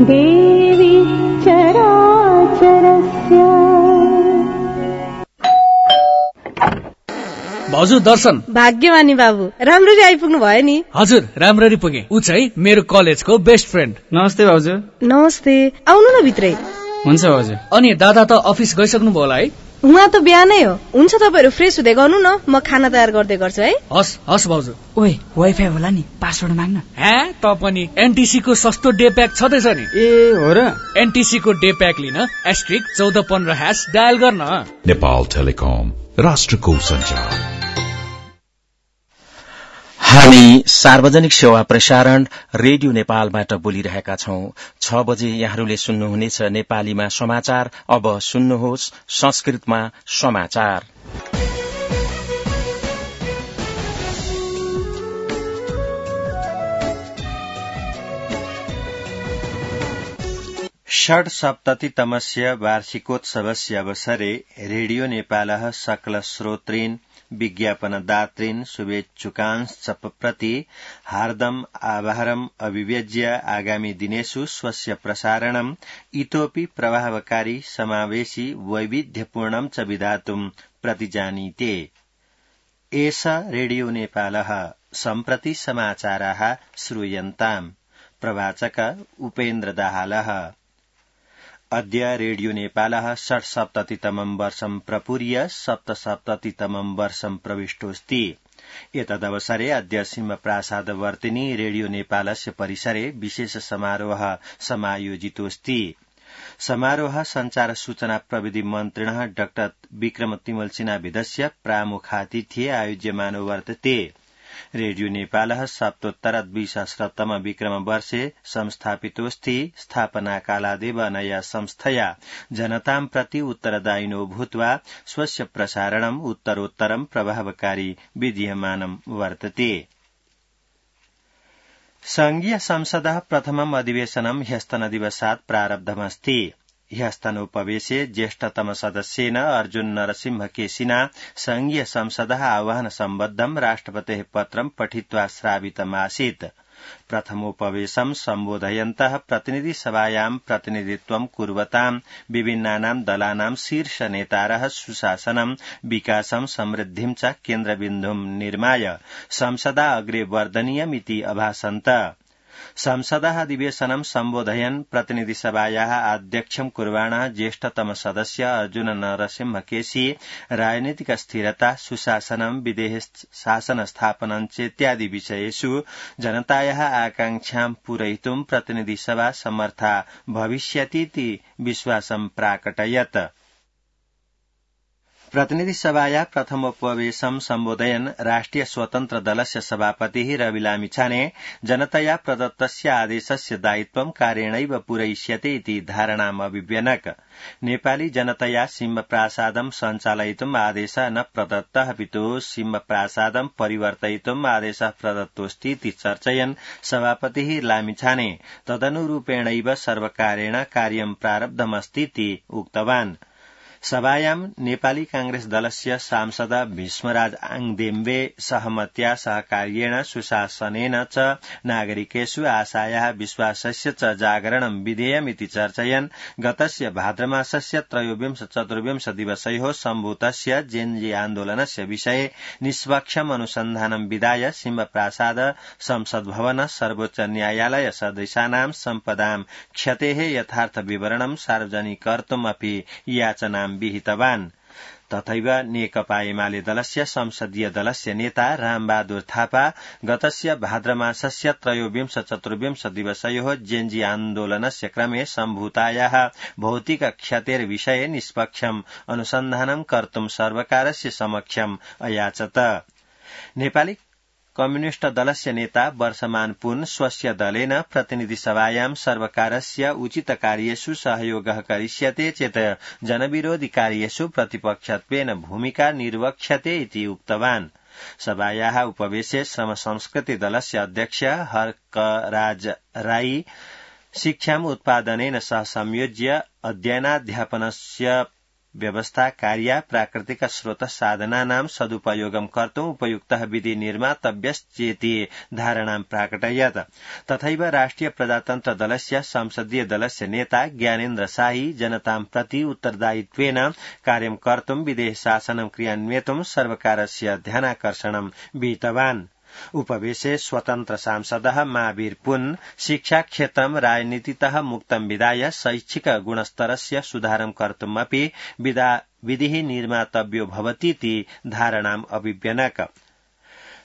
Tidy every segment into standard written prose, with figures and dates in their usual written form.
देवी चराचरस्य। भाउजू दर्शन। भाग्यमानी बाबु, राम्ररी आइपुग्नु भयो नि। हजुर, राम्ररी पुगे। ऊ चाहिँ मेरो कलेजको बेस्ट फ्रेन्ड। नमस्ते भाउजू। नमस्ते, आउनु न भित्रै। हुन्छ भाउजू। अनि दादा त अफिस गइसक्नु भयो होला है? उहाँ त बिहानै हो। हुन्छ, तपाईहरु फ्रेस हुँदै गर्नु न, म खाना तयार गर्दै गर्छु है। हस् हस् भाउजू। ओइ, वाइफाई होला नि, पासवर्ड माग्न। हे, त पनि एनटीसी को सस्तो डे प्याक छदैछ नि। ए हो र? एनटीसी को डे प्याक लिन *1415# डायल गर्न। नेपाल टेलिकम, राष्ट्रको सञ्चार। हामी सार्वजनिक सेवा प्रसारण रेडियो नेपालबाट बोलिरहेका छौं। 6 बजे यहाँहरूले सुन्नुहुनेछ नेपालीमा समाचार। अब सुन्नुहोस् संस्कृतमा समाचार। षड्सप्ततितमस्य वार्षिकोत्सवस्य अवसरे रेडियो नेपालः सकलश्रोतॄन् विज्ञापनदातॄन् शुभेच्छुकांश्च प्रति हार्दम् आभारम् अभिव्यज्य आगामि दिनेषु स्वस्य प्रसारणम् इतोऽपि प्रभावकारी समावेशि वैविध्यपूर्णं च विधातुम् प्रतिजानीते। एष रेडियो नेपालः। सम्प्रति समाचाराः श्रूयन्ताम्। प्रवाचक उपेन्द्र दाहालः। अद्य रेडियो नेपालः 67तमं वर्षं प्रपूर्य 77तमं वर्षं प्रविष्टोऽस्ति। एतदवसरे अद्य सिंहप्रासादवर्तिनी रेडियो नेपालस्य परिसरे विशेष समारोह समायोजितोऽस्ति। समारोह संचार सूचना प्रविधि मन्त्रिणः डाक्टर विक्रम तिमल सिन्हाविदस्य प्रामुखातिथ्ये आयोज्यमानो वर्तते। रेडियो नेपालः सप्तोत्तर 2000तम विक्रमवर्षे संस्थापितोऽस्ति। स्थापनाकालादेव अनया संस्थया जनतां प्रति उत्तरदायिनो भूत्वा स्वस्य प्रसारणम् उत्तरोत्तरं प्रभावकारी विधीयमानं वर्तते। संघीय संसदः प्रथमम् अधिवेशनं ह्यस्तनदिवसात् प्रारब्धमस्ति। ह्यस्तनोपवेशे ज्येष्ठतम सदस्येन अर्जुन नरसिंहकेशिना संघीय संसदः आह्वान सम्बद्धं राष्ट्रपतेः पत्रं पठित्वा श्रावितमासीत्। प्रथमोपवेशं सम्बोधयन्तः प्रतिनिधिसभायां प्रतिनिधित्वं कुर्वतां विभिन्नानां दलानां शीर्ष नेतारः सुशासनं, विकासं, समृद्धिं च केन्द्रबिन्दुं निर्माय संसदा अग्रे वर्धनीयमिति अभाषन्त। संसदः अधिवेशनं सम्बोधयन् प्रतिनिधिसभायाः आध्यक्षं कुर्वाणः ज्येष्ठतम सदस्य अर्जुन नरसिंहकेशी राजनीतिक स्थिरता, सुशासनं, विदेश शासन स्थापनं चेत्यादि विषयेषु जनतायाः आकांक्षां पूरयितुं प्रतिनिधिसभा समर्था भविष्यतीति विश्वासं प्राकटयत्। प्रतिनिधिसभाया प्रथमोपवेशं सम्बोधयन् राष्ट्रिय स्वतन्त्र दलस्य सभापतिः रवि लामिछाने जनतया प्रदत्तस्य आदेशस्य दायित्वं कार्येणैव पूरयिष्यते इति धारणाम् अभिव्यनक। नेपाली जनतया सिंहप्रासादं सञ्चालयितुम् आदेशः न प्रदत्तः अपितु सिंहप्रासादं परिवर्तयितुम् आदेशः प्रदत्तोऽस्ति इति चर्चयन् सभापतिः लामिछाने तदनुरूपेणैव सर्वकारेण कार्यं प्रारब्धमस्तीति उक्तवान्। सभायां नेपाली कांग्रेस दलस्य सांसद भीष्मराज आङदेम्बे सहमत्या सहकार्येण सुशासनेन च नागरिकेषु आशायाः विश्वासस्य च जागरणं विधेयमिति चर्चयन् गतस्य भाद्रमासस्य 23-24 दिवसयोः सम्भूतस्य जेन्जी आन्दोलनस्य विषये निष्पक्षम् अनुसन्धानं विधाय सिंहप्रासाद, संसद भवन, सर्वोच्च न्यायालय सदृशानां सम्पदां क्षतेः यथार्थ विवरणं सार्वजनिकर्तुम् अपि याचनां विहितवान्। तथैव नेकपा एमाले दलस्य संसदीय दलस्य नेता रामबहादुर थापा गतस्य भाद्रमासस्य 23-24 दिवसयोः जेन्जी आन्दोलनस्य क्रमे सम्भूतायाः भौतिक क्षतेर्विषये निष्पक्षम् अनुसन्धानं कर्तुं सर्वकारस्य समक्षम् अयाचत। नेपाली कम्युनिष्ट दलस्य नेता वर्षमान पुन स्वस्य दलेन प्रतिनिधिसभायां सर्वकारस्य उचित कार्येषु सहयोगः करिष्यते चेत् जनविरोधी कार्येषु प्रतिपक्षत्वेन भूमिका निर्वक्ष्यते इति उक्तवान्। सभायाः उपवेशे श्रम संस्कृति दलस्य अध्यक्ष हर्कराज राई शिक्षाम् उत्पादनेन सह संयोज्य अध्ययनाध्यापनस्य व्यवस्था कार्य प्राकृतिक स्रोत साधनानां सदुपयोगं कर्तुम् उपयुक्तः विधि निर्मातव्यश्चेति धारणां प्राकटयत्। तथैव राष्ट्रिय प्रजातन्त्र दलस्य संसदीय दलस्य नेता ज्ञानेन्द्र शाही जनतां प्रति उत्तरदायित्वेन कार्यं कर्तुम् विदेश शासनं क्रियान्वेतुं सर्वकारस्य ध्यानाकर्षणं विहितवान्। उपवेशे स्वतन्त्र सांसदः महावीर पुन शिक्षा क्षेत्रं राजनीतितः मुक्तं विधाय शैक्षिक गुणस्तरस्य सुधारं कर्तुमपि विधिः निर्मातव्यो भवतीति धारणाम् अभिव्यनक।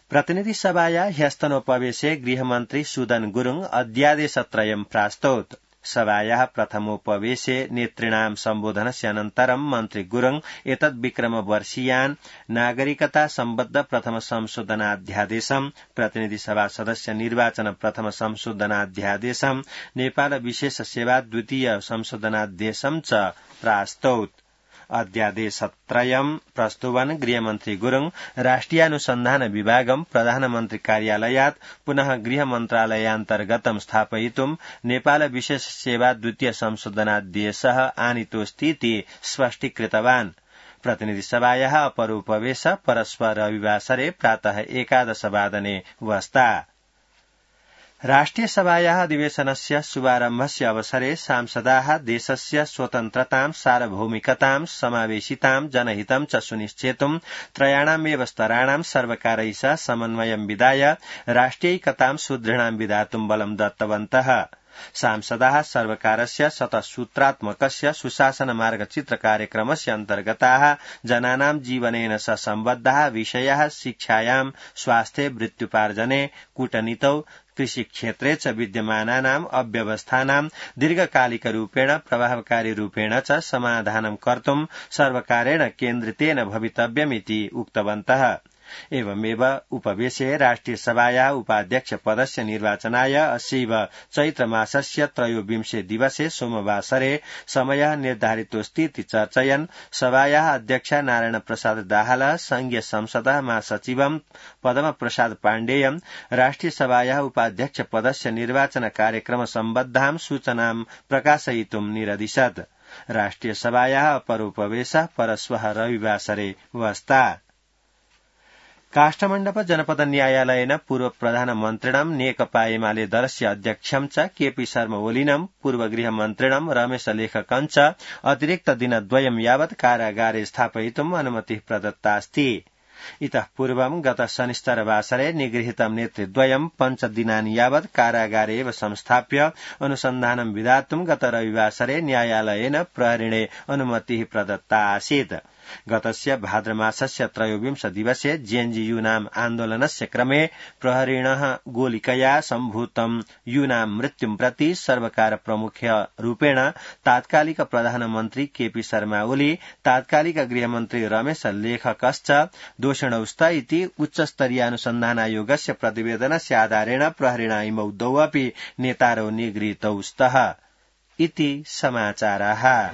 प्रतिनिधि सभाया ह्यस्तनोपवेशे गृहमन्त्री सुदन गुरुङ अध्यादेशत्रयं प्रास्तौत्। सभायाः प्रथमोपवेशे नेतृणां सम्बोधनस्य अनन्तरं मन्त्री गुरुङ एतद्विक्रमवर्षीयान् नागरिकता सम्बद्ध प्रथम संशोधनाध्यादेशं, प्रतिनिधि सभा सदस्य निर्वाचन प्रथम संशोधनाध्यादेशं, नेपाल विशेष सेवा द्वितीय संशोधनाध्यादेशं च प्रास्तौत्। अध्यादेशत्रयं प्रस्तुवन् गृहमन्त्री गुरुङ राष्ट्रियानुसन्धान विभागं प्रधानमन्त्री कार्यालयात् पुनः गृहमन्त्रालयान्तर्गतं स्थापयितुं नेपाल विशेष सेवा द्वितीय संशोधनादेशः आनीतोऽस्तीति स्पष्टीकृतवान्। प्रतिनिधि सभायाः अपर उपवेश परस्पर रविवासरे प्रातः 11 वादने वस्ता। राष्ट्रिय सभायाः अधिवेशनस्य शुभारम्भस्य अवसरे सांसदाः देशस्य स्वतन्त्रतां सार्वभौमिकतां समावेशितां जनहितं च सुनिश्चेतुं त्रयाणामेव स्तराणां सर्वकारैः सह समन्वयं विधाय राष्ट्रियैकतां सुदृढां विधातुं बलं दत्तवन्तः। सांसदाः सर्वकारस्य शतसूत्रात्मकस्य सुशासन मार्गचित्र कार्यक्रमस्य अन्तर्गताः जनानां जीवनेन सह सम्बद्धाः विषयाः शिक्षायां, स्वास्थ्ये, वृत्त्युपार्जने, कूटनीतौ, कृषिक्षेत्रे च विद्यमानानाम् अव्यवस्थानां दीर्घकालिकरूपेण प्रभावकारी रूपेण च समाधानं कर्तुं सर्वकारेण केन्द्रितेन भवितव्यमिति उक्तवन्तः। एवमेव उपवेशे राष्ट्रिय सभाया उपाध्यक्ष पदस्य निर्वाचनाय अस्यैव चैत्रमासस्य 23 दिवसे सोमवासरे समयः निर्धारितोऽस्तीति चर्चयन् सभाया अध्यक्ष नारायण प्रसाद दाहाल, संघीय संसदः महासचिवं पद्म प्रसाद पाण्डेय राष्ट्रिय सभाया उपाध्यक्ष पदस्य निर्वाचन कार्यक्रम सम्बद्धां सूचनां प्रकाशयितुं निरदिशत्। राष्ट्रिय सभाया अपर उपवेशः परश्वः रविवासरे वस्ता। काष्ठमण्डप जनपद न्यायालयेन पूर्व प्रधानमन्त्रिणं नेकपा एमाले दलस्य अध्यक्षं च केपी शर्मा ओलीनं पूर्व गृहमन्त्रिणं रमेश लेखकं च अतिरिक्त दिनद्वयं यावत् कारागारे स्थापयितुम् अनुमतिः प्रदत्तास्ति। इतः पूर्वं गत शनिश्चरवासरे निगृहीतं नेतृद्वयं 5 दिनानि यावत् कारागारे एव संस्थाप्य अनुसन्धानं विधातुं गत रविवासरे न्यायालयेन प्रहरिणे अनुमतिः प्रदत्ता आसीत्। गतस्य भाद्रमासस्य 23 दिवसे जेएनयू-नाम आन्दोलनस्य क्रमे प्रहरिणः गोलिकया सम्भूतं यूनां मृत्युं प्रति सर्वकार प्रमुख्य रूपेण तात्कालिक प्रधानमन्त्री केपी शर्मा ओली, तात्कालिक गृहमन्त्री रमेश लेखकश्च दोषिणौ स्तः इति उच्चस्तरीय अनुसन्धानायोगस्य प्रतिवेदनस्य आधारेण प्रहरिणा इमौ द्वौ अपि नेतारौ निगृहीतौ स्तः इति समाचाराः।